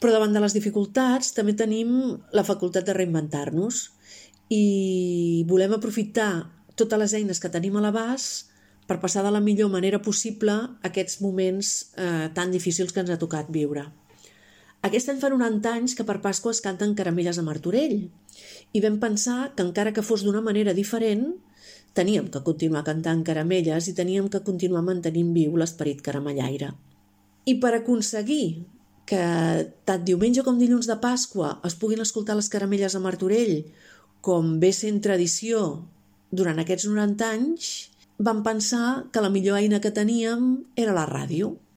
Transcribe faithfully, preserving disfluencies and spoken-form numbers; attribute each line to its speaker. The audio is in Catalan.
Speaker 1: Però davant de les dificultats també tenim la facultat de reinventar-nos i volem aprofitar totes les eines que tenim a l'abast per passar de la millor manera possible aquests moments eh, tan difícils que ens ha tocat viure. Aquest any fa noranta anys que per Pasqua es canten caramelles a Martorell i vam pensar que encara que fos d'una manera diferent teníem que continuar cantant caramelles i teníem que continuar mantenint viu l'esperit caramellaire. I per aconseguir que tant diumenge com dilluns de Pasqua es puguin escoltar les caramelles a Martorell, com ve sent tradició durant aquests noranta anys, vam pensar que la millor eina que teníem era la ràdio.